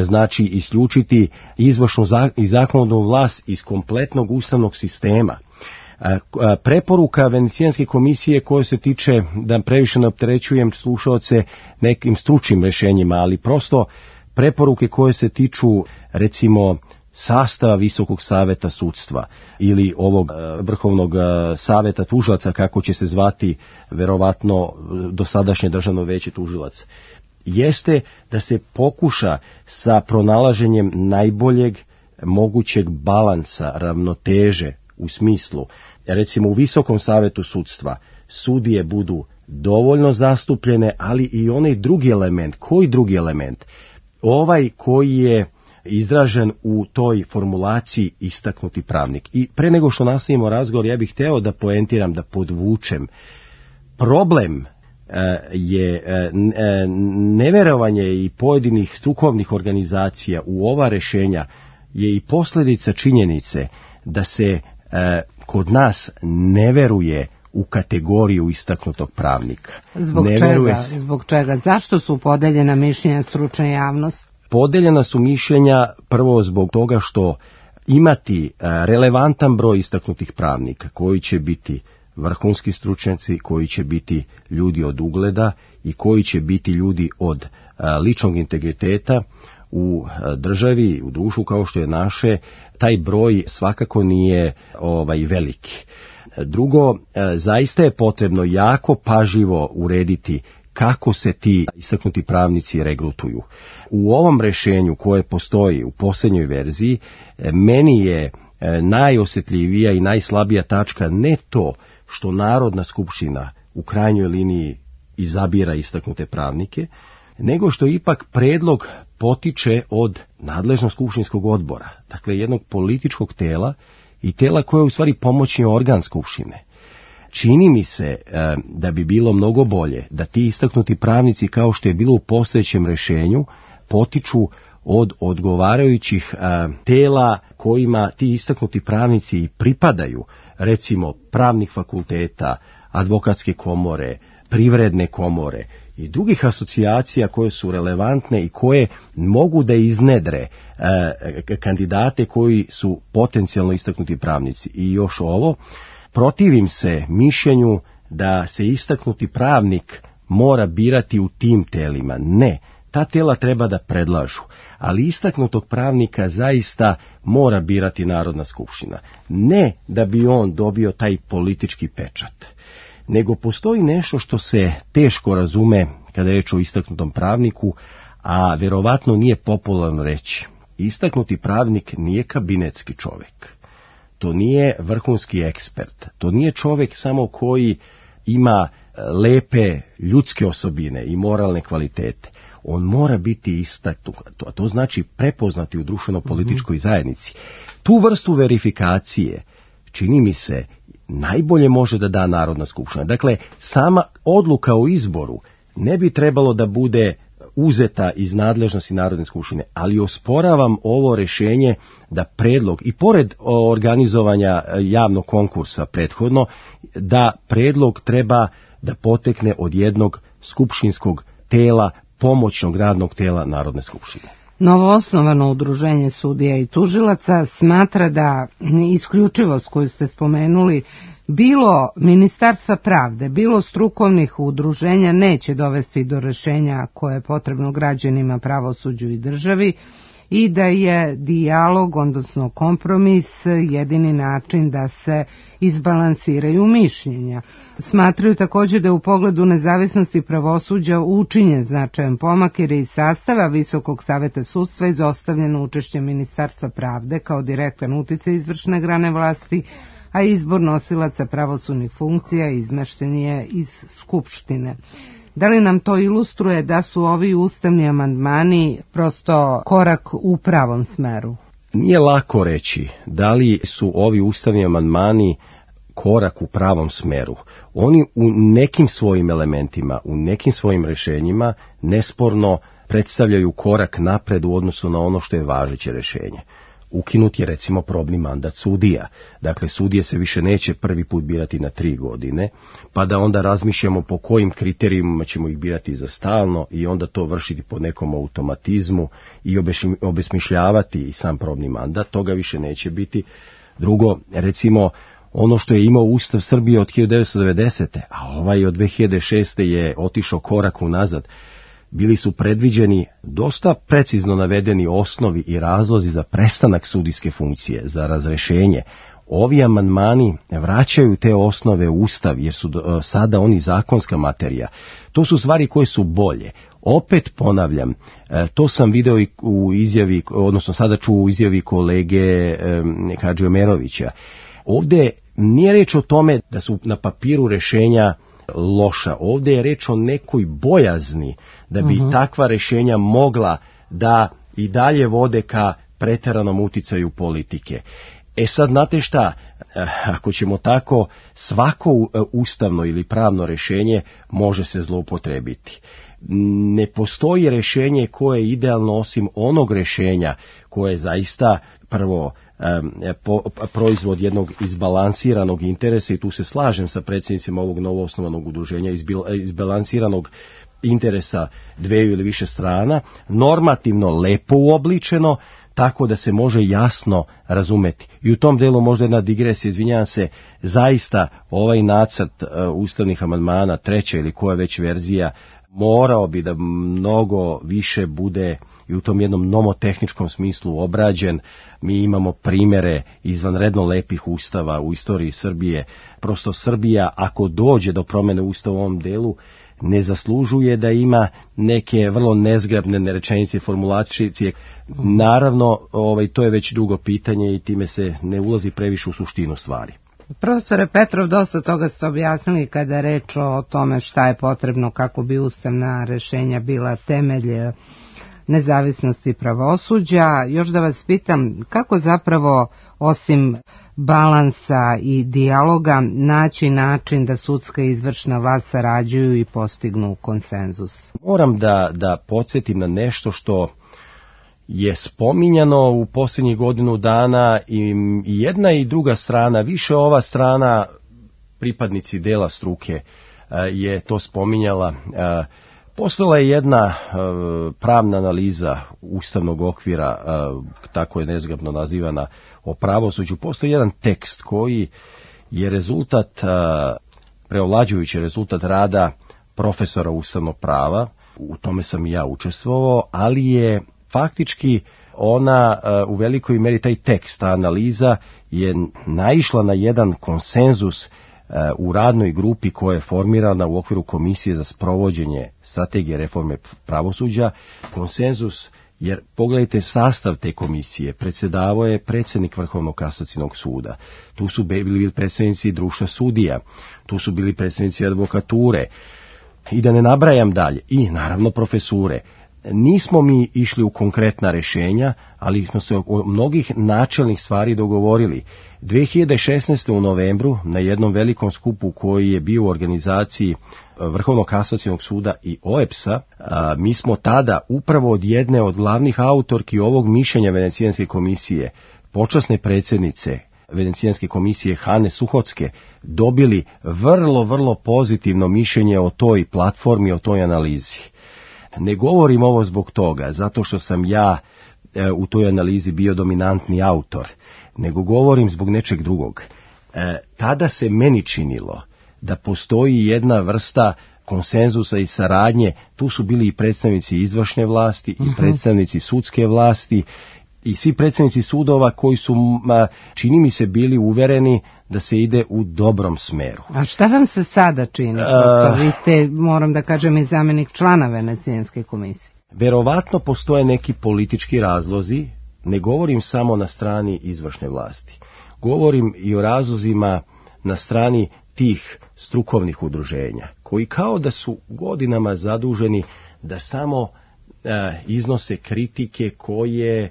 znači isključiti izvršnu i zakonodavnu vlast iz kompletnog ustavnog sistema. Preporuka Venecijanske komisije koja se tiče, da previše ne opterećujem slušaoce nekim stručnim rešenjima, ali prosto preporuke koje se tiču recimo sastava Visokog saveta sudstva ili ovog Vrhovnog saveta tužilaca, kako će se zvati verovatno dosadašnje Državno veće tužilaca, jeste da se pokuša sa pronalaženjem najboljeg mogućeg balansa, ravnoteže, u smislu, recimo u Visokom savetu sudstva sudije budu dovoljno zastupljene, ali i onaj drugi element. Koji drugi element? Ovaj koji je izražen u toj formulaciji istaknuti pravnik. I pre nego što nastavimo razgovor, ja bih hteo da poentiram, da podvučem. Problem je neverovanje i pojedinih strukovnih organizacija u ova rešenja je i posljedica činjenice da se kod nas ne veruje u kategoriju istaknutog pravnika. Zbog čega? Zašto su podeljena mišljenja stručne javnosti? Podeljena su mišljenja prvo zbog toga što imati relevantan broj istaknutih pravnika koji će biti vrhunski stručnjaci, koji će biti ljudi od ugleda i koji će biti ljudi od ličnog integriteta u državi, u društvu kao što je naše, taj broj svakako nije veliki. Drugo, zaista je potrebno jako pažljivo urediti kako se ti istaknuti pravnici regrutuju. U ovom rešenju koje postoji u posljednjoj verziji, meni je najosjetljivija i najslabija tačka ne to što Narodna skupština u krajnjoj liniji izabira istaknute pravnike, nego što ipak predlog potiče od nadležnog skupštinskog odbora, dakle jednog političkog tela i tela koje je u stvari pomoćni organ skupštine. Čini mi se da bi bilo mnogo bolje da ti istaknuti pravnici, kao što je bilo u postojećem rešenju, potiču od odgovarajućih tela kojima ti istaknuti pravnici i pripadaju, recimo pravnih fakulteta, advokatske komore, privredne komore i drugih asocijacija koje su relevantne i koje mogu da iznedre kandidate koji su potencijalno istaknuti pravnici. I još ovo, protivim se mišljenju da se istaknuti pravnik mora birati u tim telima. Ne, ta tela treba da predlažu, ali istaknutog pravnika zaista mora birati Narodna skupština. Ne da bi on dobio taj politički pečat, nego postoji nešto što se teško razume kada je reč o istaknutom pravniku, a verovatno nije popularno reći. Istaknuti pravnik nije kabinetski čovjek. To nije vrhunski ekspert. To nije čovjek samo koji ima lepe ljudske osobine i moralne kvalitete. On mora biti istaknut, to znači prepoznati u društveno-političkoj zajednici. Tu vrstu verifikacije, čini mi se, najbolje može da da Narodna skupština. Dakle, sama odluka o izboru ne bi trebalo da bude uzeta iz nadležnosti Narodne skupštine, ali osporavam ovo rešenje da predlog, i pored organizovanja javnog konkursa prethodno, da predlog treba da potekne od jednog skupštinskog tela, pomoćnog radnog tela Narodne skupštine. Novoosnovano udruženje sudija i tužilaca smatra da isključivost koju ste spomenuli, bilo Ministarstva pravde, bilo strukovnih udruženja, neće dovesti do rešenja koje je potrebno građanima, pravosuđu i državi, i da je dijalog, odnosno kompromis, jedini način da se izbalansiraju mišljenja. Smatraju također da je u pogledu nezavisnosti pravosuđa učinjen značajan pomak, jer je iz sastava Visokog saveta sudstva izostavljeno učešće Ministarstva pravde kao direktan uticaj izvršne grane vlasti, a izbor nosilaca pravosudnih funkcija izmešten je iz Skupštine. Da li nam to ilustruje da su ovi ustavni amandmani prosto korak u pravom smeru? Nije lako reći da li su ovi ustavni amandmani korak u pravom smeru. Oni u nekim svojim elementima, u nekim svojim rešenjima nesporno predstavljaju korak napred u odnosu na ono što je važeće rešenje. Ukinut je recimo probni mandat sudija. Dakle, sudije se više neće prvi put birati na 3 godine, pa da onda razmišljamo po kojim kriterijima ćemo ih birati za stalno i onda to vršiti po nekom automatizmu i obesmišljavati i sam probni mandat. Toga više neće biti. Drugo, recimo, ono što je imao Ustav Srbije od 1990. a ovaj od 2006. je otišao korak unazad. Bili su predviđeni dosta precizno navedeni osnovi i razlozi za prestanak sudijske funkcije, za razrešenje. Ovi amandmani vraćaju te osnove u Ustav, jer su sada oni zakonska materija. To su stvari koje su bolje. Opet ponavljam, to sam video i u izjavi, odnosno sada ću u izjavi kolege Hadžiomerovića. Ovdje nije reč o tome da su na papiru rešenja loša. Ovdje je reč o nekoj bojazni da bi takva rešenja mogla da i dalje vode ka preteranom uticaju politike. Sad, znate šta, ako ćemo tako, svako ustavno ili pravno rešenje može se zloupotrebiti. Ne postoji rešenje koje je idealno osim onog rešenja koje je zaista prvo proizvod jednog izbalansiranog interesa, i tu se slažem sa predsjednicima ovog novoosnovanog udruženja, izbalansiranog interesa dveju ili više strana, normativno lepo uobličeno, tako da se može jasno razumeti. I u tom delu možda jedna digresija, izvinjavam se, zaista ovaj nacrt ustavnih amandmana, 3. ili koja već verzija, morao bi da mnogo više bude i u tom jednom nomotehničkom smislu obrađen. Mi imamo primere izvanredno lepih ustava u istoriji Srbije. Prosto Srbija, ako dođe do promjene ustava u ovom delu, ne zaslužuje da ima neke vrlo nezgrapne rečenice, formulacije. Naravno, to je već drugo pitanje i time se ne ulazi previše u suštinu stvari. Profesore Petrov, dosta toga ste objasnili kada je reč o tome šta je potrebno kako bi ustavna rešenja bila temelj nezavisnosti pravosuđa. Još da vas pitam, kako zapravo osim balansa i dijaloga naći način da sudska i izvršna vlast sarađuju i postignu konsenzus? Moram da podsjetim na nešto što je spominjano u posljednjih godinu dana i jedna i druga strana, više ova strana, pripadnici dela struke, je to spominjala. Postojala je jedna pravna analiza ustavnog okvira, tako je nezgrapno nazivana, o pravosuđu. Postoji jedan tekst koji je rezultat, preovlađujući rezultat rada profesora ustavnog prava, u tome sam i ja učestvovao, ali je faktički ona u velikoj meri, taj tekst, ta analiza je naišla na jedan konsenzus u radnoj grupi koja je formirana u okviru Komisije za sprovođenje strategije reforme pravosuđa. Konsenzus, jer pogledajte sastav te komisije, predsjedavao je predsjednik Vrhovnog kasacionog suda, tu su bili predstavnici društva sudija, tu su bili predstavnici advokature i da ne nabrajam dalje, i naravno profesure. Nismo mi išli u konkretna rješenja, ali smo se o mnogih načelnih stvari dogovorili. 2016. u novembru na jednom velikom skupu koji je bio u organizaciji Vrhovnog kasacionog suda i OEPS-a, mi smo tada upravo od jedne od glavnih autorki ovog mišljenja Venecijanske komisije, počasne predsjednice Venecijanske komisije Hane Suhocke, dobili vrlo pozitivno mišljenje o toj platformi, o toj analizi. Ne govorim ovo zbog toga, zato što sam ja u toj analizi bio dominantni autor, nego govorim zbog nečeg drugog. Tada se meni činilo da postoji jedna vrsta konsenzusa i saradnje, tu su bili i predstavnici izvršne vlasti i predstavnici sudske vlasti i svi predstavnici sudova koji su, čini mi se, bili uvereni da se ide u dobrom smeru. A šta vam se sada čini? Vi ste, moram da kažem, i zamjenik člana Venecijanske komisije. Verovatno postoje neki politički razlozi, ne govorim samo na strani izvršne vlasti. Govorim i o razlozima na strani tih strukovnih udruženja, koji kao da su godinama zaduženi da samo iznose kritike koje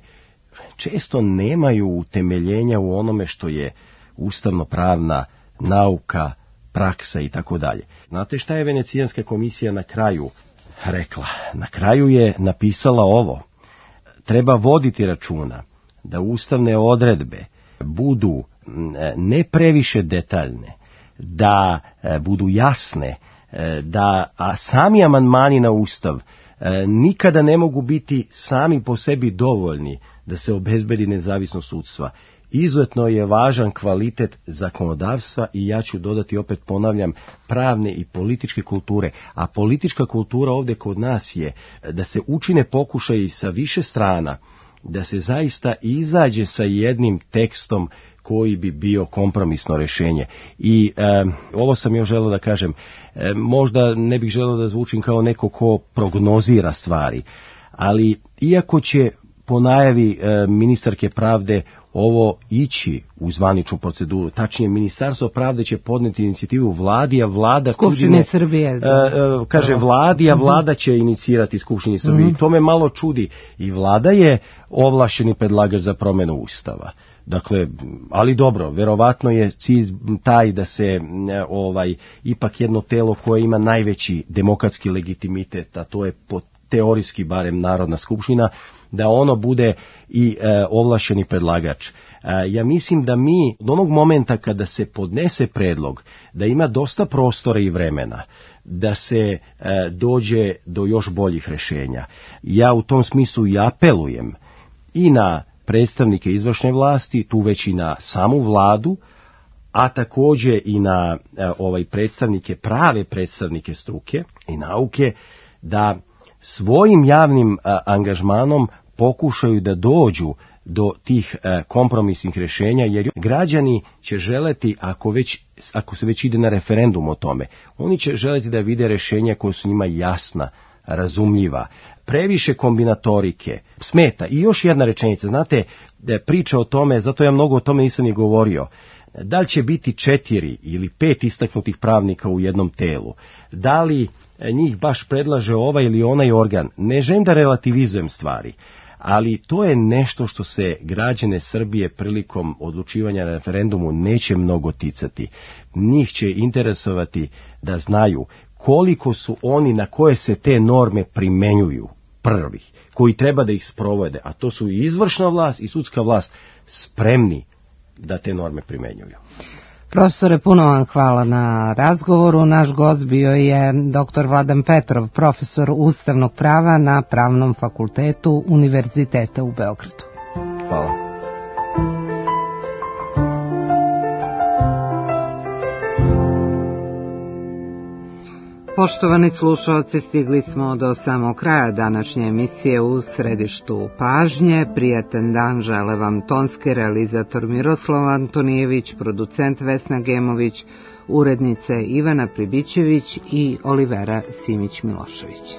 često nemaju utemeljenja u onome što je ustavno-pravna nauka, praksa i tako dalje. Znate šta je Venecijanska komisija na kraju rekla? Na kraju je napisala ovo: treba voditi računa da ustavne odredbe budu ne previše detaljne, da budu jasne, a sami amandmani na Ustav nikada ne mogu biti sami po sebi dovoljni da se obezbedi nezavisnost sudstva. Izuzetno je važan kvalitet zakonodavstva i ja ću dodati, opet ponavljam, pravne i političke kulture. A politička kultura ovdje kod nas je da se učine pokušaji sa više strana, da se zaista izađe sa jednim tekstom koji bi bio kompromisno rješenje. I ovo sam još želeo da kažem, možda ne bih želeo da zvučim kao neko ko prognozira stvari, ali iako će po najavi ministarke pravde ovo ići u zvaničnu proceduru, tačnije Ministarstvo pravde će podnijeti inicijativu vladi, a vlada Skupštine Srbije kaže vladi, a vlada će inicirati Skupštini Srbije. I to me malo čudi. I vlada je ovlašćeni predlagač za promjenu Ustava. Dakle, ali dobro, verovatno je cilj taj da se ipak jedno telo koje ima najveći demokratski legitimitet, a to je teorijski barem Narodna skupština, da ono bude i ovlašćeni predlagač. Ja mislim da mi od onog momenta kada se podnese predlog, da ima dosta prostora i vremena da se dođe do još boljih rješenja. Ja u tom smislu i apelujem i na predstavnike izvršne vlasti, tu već i na samu vladu, a također i na predstavnike, prave predstavnike struke i nauke, da svojim javnim angažmanom pokušaju da dođu do tih kompromisnih rješenja, jer građani će želeti, ako se već ide na referendum o tome, oni će želeti da vide rješenja koja su njima jasna, razumljiva. Previše kombinatorike smeta. I još jedna rečenica, znate, priča o tome, zato ja mnogo o tome nisam ni govorio, da li će biti 4 ili 5 istaknutih pravnika u jednom telu, da li njih baš predlaže ovaj ili onaj organ, ne želim da relativizujem stvari, ali to je nešto što se građane Srbije prilikom odlučivanja na referendumu neće mnogo ticati. Njih će interesovati da znaju koliko su oni na koje se te norme primenjuju prvih, koji treba da ih sprovode, a to su i izvršna vlast i sudska vlast, spremni da te norme primenjuju. Profesore, puno vam hvala na razgovoru. Naš gost bio je dr. Vladan Petrov, profesor ustavnog prava na Pravnom fakultetu Univerziteta u Beogradu. Hvala. Poštovani slušalci, stigli smo do samog kraja današnje emisije. U središtu pažnje prijatan dan žele vam tonski realizator Miroslav Antonijević, producent Vesna Gemović, urednice Ivana Pribićević i Olivera Simić-Milošević.